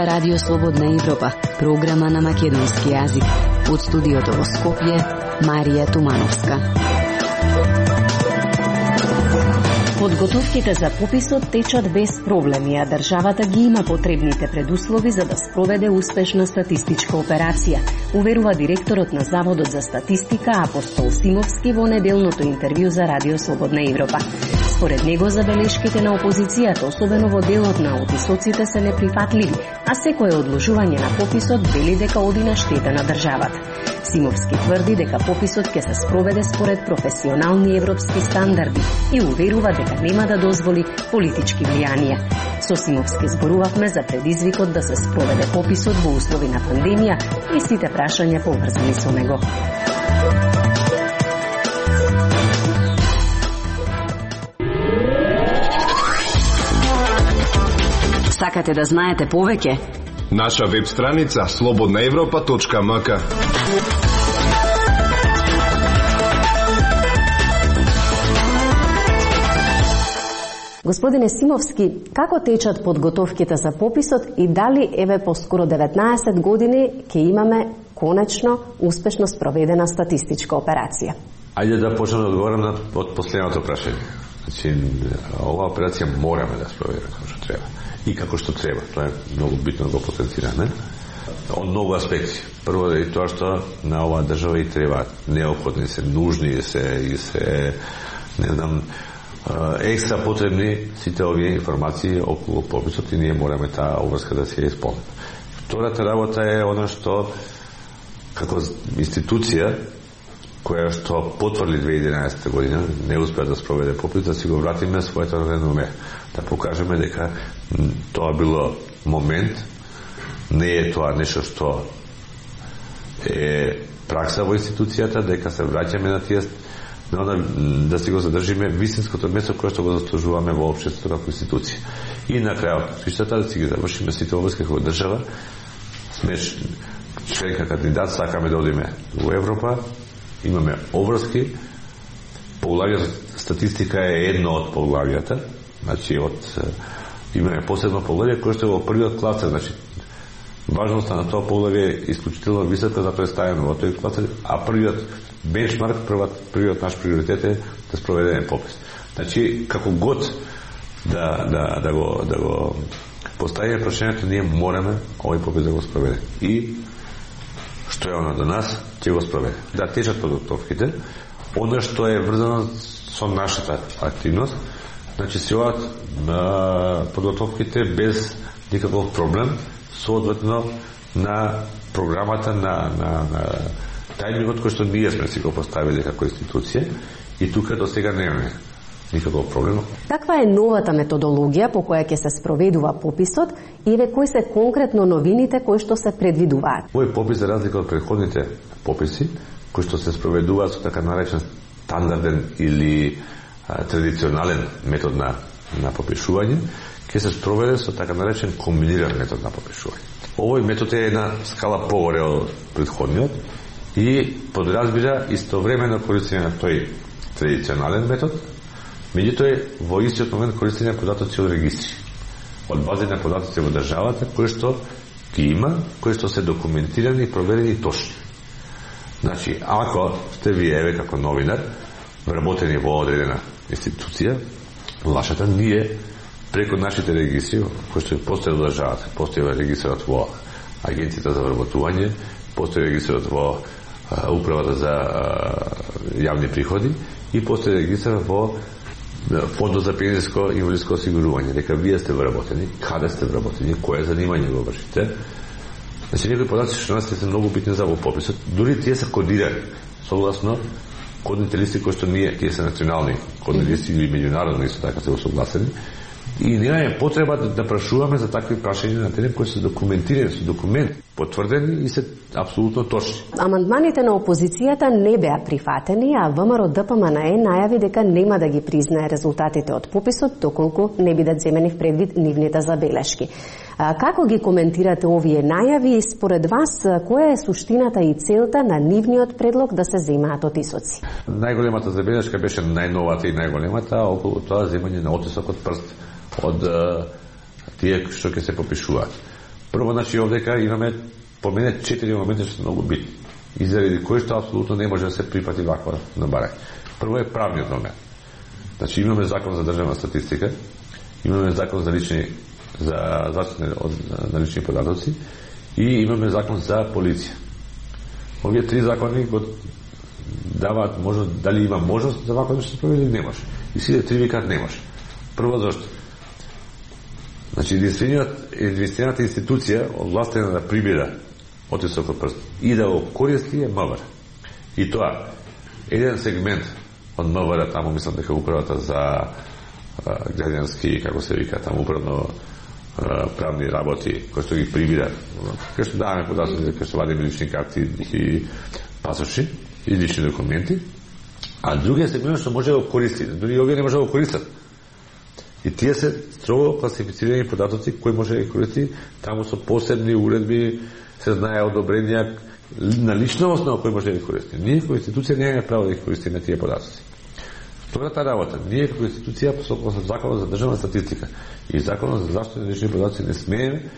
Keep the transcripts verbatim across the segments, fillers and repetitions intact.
Ова е Радио Слободна Европа, програма на македонски јазик. Од студиото во Скопје, Марија Тумановска. Подготовките за пописот течат без проблеми, а државата ги има потребните предуслови за да спроведе успешна статистичка операција, уверува директорот на Заводот за статистика Апостол Симовски во неделното интервју за Радио Слободна Европа. Според него, забелешките на опозицијата, особено во делот на отисоците, се неприфатливи, а секое одложување на пописот вели дека оди на штета на државата. Симовски тврди дека пописот ќе се спроведе според професионални европски стандарди и уверува дека нема да дозволи политички влијанија. Со Симовски зборувавме за предизвикот да се спроведе пописот во услови на пандемија и сите прашања поврзани со него. Сакате да знаете повеќе? Наша веб страница слободна европа точка ем ка. Господине Симовски, како течат подготовките за пописот и дали еве по скоро деветнаесет години ќе имаме конечно успешно спроведена статистичка операција? Ајде да почнем да одговорам на од последното прашање. Значи, оваа операција мораме да спроведеме како што треба. И како што треба. Тоа е многу битно да го потенцираме. Од многу аспекти. Прво е тоа што на оваа држава и треба неопходни се, нужни се и се, не знам, екстра потребни сите овие информации околу пописот и ние мораме таа обврска да се исполним. Втората работа е она што како институција која што потврди две илјади и единаесетта година не успеа да спроведе попис, да си го вратиме своето реноме, да покажеме дека тоа било момент, не е тоа нешто што е пракса во институцијата, дека се враќаме на тие, да си го задржиме вистинското место кое што го заслужуваме во општеството како институција. И на крајот, свиштата да си ги завршиме сите обврски како држава, сме членка кандидат, сакаме да одиме во Европа, имаме обврски, поглавјето статистика е едно од поглавјата, значи од имаме посебно поглавје кое што е во првиот класер, значи важноста на тоа поглавје е исклучително висока за представено во тој класер, а првиот бенчмарк, првиот наш приоритет е да спроведеме попис. Значи, како год да, да, да, го, да го поставиме прашањето, ние мораме овој попис да го спроведеме. И што е оно до нас, ќе го спроведе. Да течат подготовките, оно што е врзано со нашата активност, значи се одат на подготовките без никаков проблем, соодветно на програмата на, на, на тајмингот кој што ние сме си го поставили како институција и тука до сега немаме никаков проблем. Каква е новата методологија по која ќе се спроведува пописот и ве кои се конкретно новините кои што се предвидуваат? Овој попис, за разлика од претходните пописи, кои што се спроведуваат со така наречен стандарден или а, традиционален метод на, на попишување, ќе се спроведе со така наречен комбиниран метод на попишување. Овој метод е една скала погоре од претходниот и подразбира истовремено користење на тој традиционален метод, меѓутоа е во истиот момент користење податоци од регистри, од бази на податоци во државата, кои што ги има, кои што се документирани, проверени точни. Значи, ако сте вие, еве, како новинар, вработени во одредена институција, лашата ние, преку нашите регистри, кои што постои во државата, постои регистрот во Агенцијата за вработување, постои регистрот во Управата за јавни приходи и постои регистар во Фондот за пензиско и инвалидско осигурување, дека вие сте вработени, каде сте вработени, кое занимање го вршите. Значи, некои податоци што нас се многу битни за во пописот, дури тие се кодирани согласно кодните листи кои што ние, тие се национални кодни листи или меѓународни исто така се усогласени. И немаме потреба да, да прашуваме за такви прашања на терен кои се документирани со документ, потврдени и се апсолутно точни. Амандманите на опозицијата не беа прифатени, а ВМРО Д П М Н Е најави дека нема да ги признае резултатите од пописот доколку не бидат земени в предвид нивните забелешки. А, како ги коментирате овие најави и според вас која е суштината и целта на нивниот предлог да се земаат отисоци? Најголемата забелешка беше најновата и најголемата околу тоа земање на отисок од прст од а, тие што ќе се попишуваат. Прво, значи, овдека имаме по мене четири моменти што се многу битни. И заради кои што апсолутно не може да се прифати ваква набарање. Прво е правниот момент. Значи, имаме закон за државна статистика, имаме закон за лични за заштита на лични податоци и имаме закон за полиција. Овие три закони го даваат можност, дали има можност за вакво да се проведе или не може. И сите три викаат не може. Прво зашто? Значи, единствената институција овластена да прибира отисок од прст и да го користи е МВР. И тоа, еден сегмент од МВР, таму мислам дека управата за граѓански, како се вика, таму управно правни работи, кои што ги прибира, кај што даваме податоци, кај што вадиме лични карти и пасоши и лични документи, а другиот сегмент што може да го користи, дори овие не може да го користат. И тие се строго класифицирани податоци кои може да ги користи, таму со посебни уредби се знае одобренија на лична основа кој може да ги користи. Ние како институција немаме право да ги користиме тие податоци. Втората работа, ние како институција со законот за државна статистика и законот за заштита на лични податоци не смееме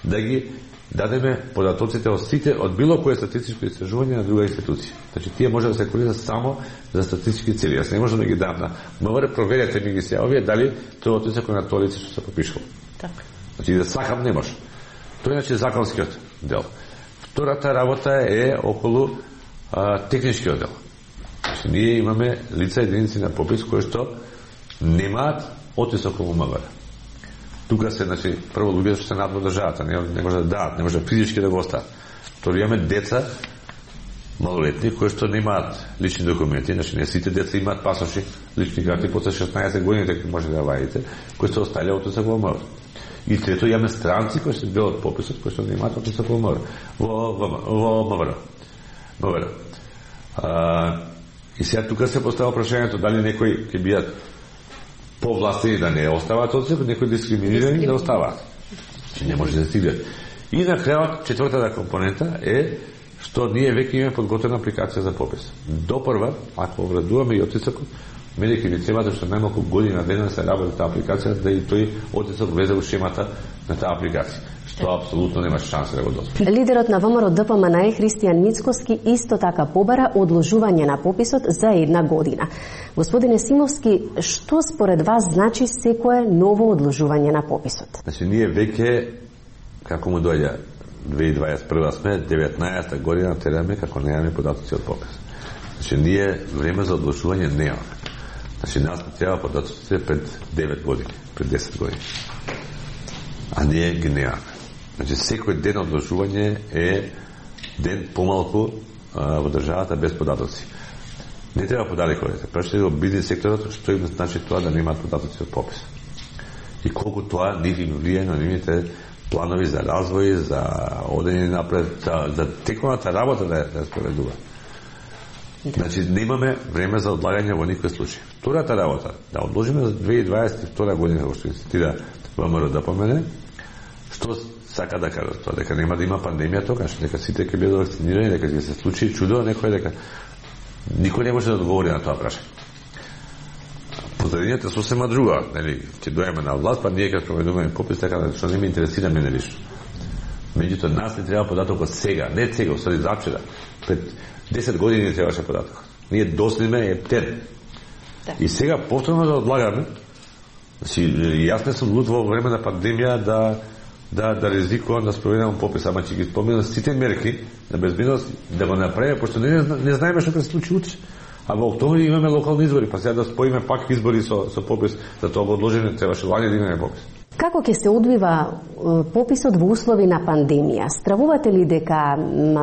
да ги дадеме податоците од сите од било кое статистичко истражување на друга институција. Значи тие може да се користат само за статистички цели. Јас не можам да ги дам на МВР, проверете ми ги се овие дали тоа отисок на тоа лице што се попишало. Така. Значи да сакам не може. Тоа е значи законскиот дел. Втората работа е околу а, техничкиот дел. Значи ние имаме лица единици на попис кои што немаат отисок во МВР. Тука се, значи, прво луѓето што се над во државата, не, не може да дадат, не може физички да го остават. Второ имаме деца малолетни кои што немаат лични документи, значи не сите деца имаат пасоши, лични карти после шеснаесет години дека може да вадите, кои се осталија отисок во МВР. И трето имаме странци кои се бил од пописот, кои што немаат отисок во МВР. Во во МВР. МВР. А, и сега тука се постава прашањето дали некои ќе бидат повластени да не оставаат отисок, некои дискриминирани да оставаат. Че не може да стигнат. И на крајот четвртата компонента е што ние веќе имаме подготвена апликација за попис. Допрва, ако обрадуваме и отисокот, мене ќе ни треба што најмалку година дена се работи таа апликација да и тој отисок влезе во шемата на таа апликација. Што апсолутно нема шанса да го дозволи. Лидерот на ВМРО ДПМН Христијан Мицкоски исто така побара одложување на пописот за една година. Господине Симовски, што според вас значи секое ново одложување на пописот? Значи ние веќе како му доаѓа две илјади дваесет и прва сме деветнаесета година тераме како немаме податоци од попис. Значи ние време за одложување немаме. Значи нас не треба податоците пред девет години, пред десет години. А ние ги немаме. Значи секој ден одложување е ден помалку а, во државата без податоци. Не треба подалеку одите. Прашајте го бизнес секторот што им значи тоа да немаат податоци од попис. И колку тоа нив им влијае на нивните планови за развој, за одење напред, за, за тековната работа да ја спроведува. Значи немаме време за одлагање во никој случај. Втората работа, да одложиме за две илјади дваесет и втора година, како што инцитира ВМРО ДПМН, што сака да кажа тоа, дека нема да има пандемија тогаш, дека сите ќе бидат вакцинирани, дека ќе се случи чудо, некој дека никој не може да одговори на тоа прашање. Позадината сосема друга, нели, ќе дојдеме на власт, па ние ќе спроведуваме попис, така да што не ме интересира мене лично. Меѓутоа нас не треба податокот сега, не сега, усади завчера. Пред десет години не требаше податокот. Ние доследиме ептен. И сега повторно да одлагаме. Значи, јас не сум луд во време на пандемија да да да ризикувам да спроведам попис, ама ќе ги спомнам сите мерки на безбедност да го направиме, пошто не, не знаеме што ќе се случи утре. А во октомври имаме локални избори, па сега да споиме пак избори со со попис, за тоа го одложење требаше лани да имаме попис. Како ќе се одвива пописот во услови на пандемија? Стравувате ли дека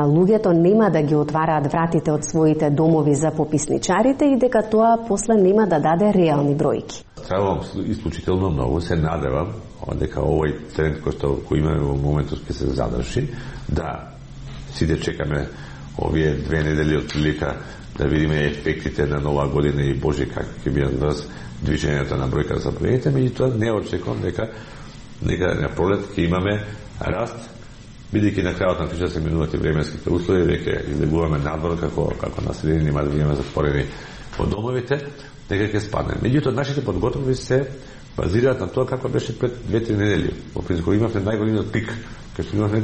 луѓето нема да ги отвараат вратите од своите домови за пописничарите и дека тоа после нема да даде реални бројки? Стравувам исклучително многу, се надевам дека овој тренд кој што кој имаме во моментот ќе се задржи, да сите чекаме овие две недели од прилика да видиме ефектите на нова година и Боже како ќе бидат врз движењето на бројка за заболелите, меѓутоа не очекувам дека дека на пролет ќе имаме раст, бидејќи на крајот на тишта се минуваат и временските услови, веќе излегуваме надвор како како населени, нема да бидеме затворени во домовите, дека ќе спадне. Меѓутоа нашите подготовки се базираат на тоа како беше пред две-три недели. Во принцип имавме најголемиот пик кај што имаме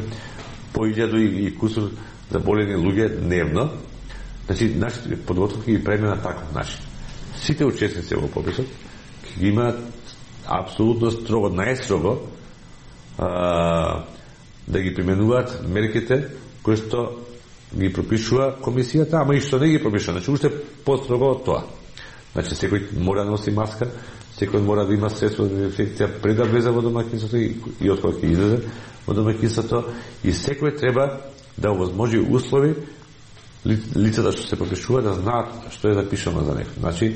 по илјаду и кусур заболени луѓе дневно. Значи, нашите подготовки ги правиме на таков начин. Сите учесници во пописот ги имаат апсолутно строго, најстрого а, да ги применуваат мерките кои што ги пропишува комисијата, ама и што не ги пропишува. Значи, уште построго од тоа. Значи, секој мора да носи маска, секој мора да има средство за дезинфекција пред да влезе во домаќинството и, и од кога ќе излезе во домаќинството, и секој треба да овозможи услови лицата што се пропишува да знаат што е запишано за него. Значи,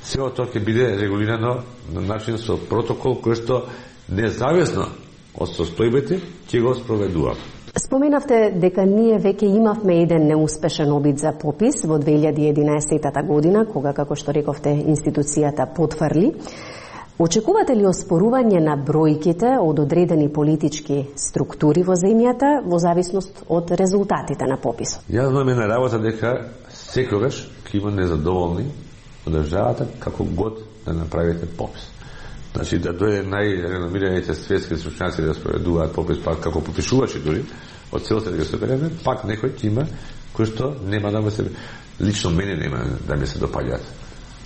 сето тоа ќе биде регулирано на начин со протокол кој што независно од состојбите ќе го спроведува. Споменавте дека ние веќе имавме еден неуспешен обид за попис во две илјади и единаесета година, кога, како што рековте, институцијата потврли. Очекувате ли оспорување на бројките од одредени политички структури во земјата во зависност од резултатите на пописот? Јас знам една работа дека секогаш ќе има незадоволни од државата како год да направите попис. Значи да дојде најреномираните светски стручњаци да спроведуваат попис, пак како попишувачи дури од целата да се береме, пак некој ќе има кој што нема да ме се, лично мене нема да ми се допаѓаат.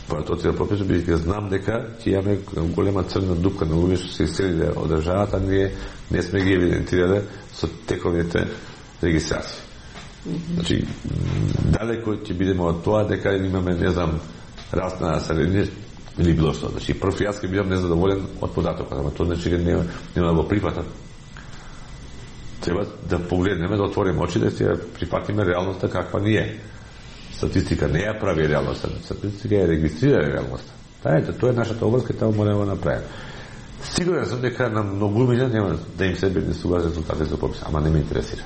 Поред од целиот попис, бидејќи знам дека ќе имаме голема црна дупка на луѓе што се иселиле од државата, ние не сме ги евидентирале со тековните регистрации. Значи далеко ќе бидеме од тоа дека имаме, не знам, раст на население или било што. Значи, прв јас ќе бидам незадоволен од податокот, ама тоа значи нема, нема да го прифатам. Треба да погледнеме, да отвориме очи, да ќе прифатиме реалноста каква ни е. Статистика не ја прави реалноста, статистика ја регистрира реалноста. Та ето, тоа е нашата обврска и тоа мора да направиме. Сигурен сум дека на многумина нема да им се бенесуваат резултати за попис, ама не ме интересира.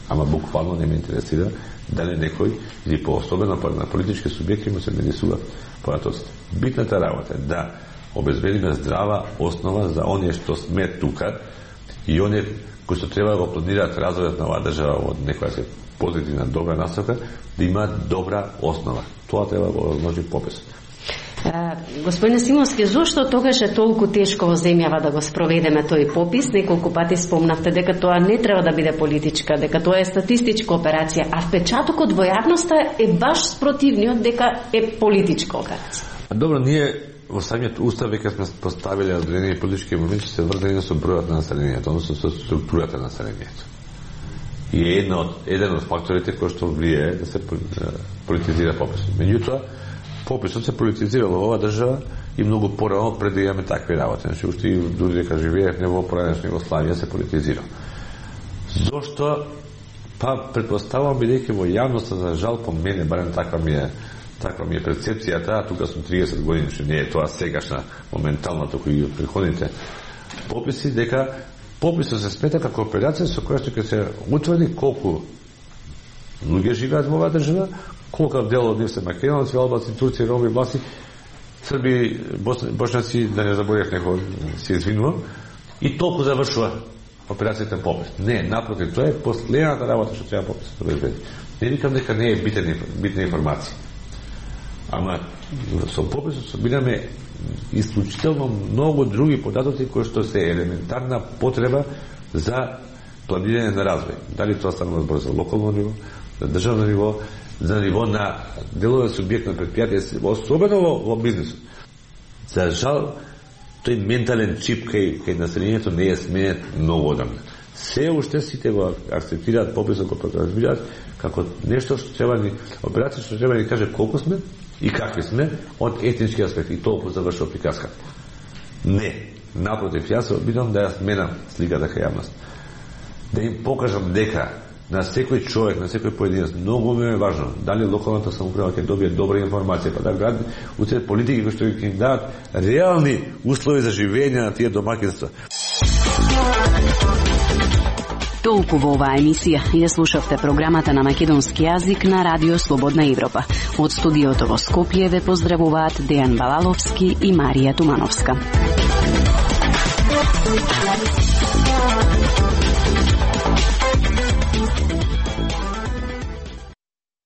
Ама буквално не ме интересира дали некој или поособено на политички субјекти му се бенесуваат податоците. Битната работа е да обезбедиме здрава основа за оние што сме тука и оние кои што треба да го планираат развојот на оваа држава од некоја се позитивна, добра насока, да имаат добра основа. Тоа треба да го возможи попис. Господин Симовски, зошто тогаш е толку тешко во земјава да го спроведеме тој попис? Неколку пати спомнавте дека тоа не треба да биде политичка, дека тоа е статистичка операција, а впечатокот во јавноста е баш спротивниот дека е политичка операција. Добро, ние во самиот устав веќе сме поставиле одредени политички моменти се врзани со бројот на населението, односно со структурата на населението. И е една од, еден од факторите кој што влијае да се политизира пописот. Меѓутоа, пописот се политизирал во оваа држава и многу порано пред да имаме такви работи. Значи, уште и дури дека живеевме во поранешна Југославија се политизира. Зошто? Па, предпоставувам, бидејќи во јавноста, за жал, по мене, барем таква ми е, таква ми е перцепцијата, а тука сум триесет години, што не е тоа сегашна, моментално, току и преходните пописи, дека пописот се смета како операција со која што ќе се утврди колку луѓе живеат во оваа држава, колку дел од нив се македонци, албанци, турци, роми, власи, срби, бошњаци, да не заборев некој, се извинувам, и толку завршува операцијата попис. Не, напротив, тоа е последната работа што треба пописот да обезбеди. Не викам дека не е битна, битна информација. Ама со пописот собираме исклучително многу други податоци кои што се елементарна потреба за планирање на развој. Дали тоа станува збор за локално ниво, за државно ниво, за ниво на делове субјектно предпријатие, особено во, во бизнисот. За жал, тој ментален чип кај, кај населението не е сменет многу одамна. Се уште сите го акцептираат пописот, го разбираат како нешто што треба ни, операција што треба ни каже колку сме и какви сме од етнички аспект, и толку завршува приказката. Не, напротив, јас се обидам да ја сменам сликата кај јавност. Да им покажам дека на секој човек, на секој поединец, многу ми е важно дали локалната самоуправа ќе добие добра информација, па да град уцет политики кои што ќе им дадат реални услови за живење на тие домаќинства. Толку во оваа емисија ја слушавте програмата на македонски јазик на Радио Слободна Европа. Од студиото во Скопје ве поздравуваат Дејан Балаловски и Марија Тумановска.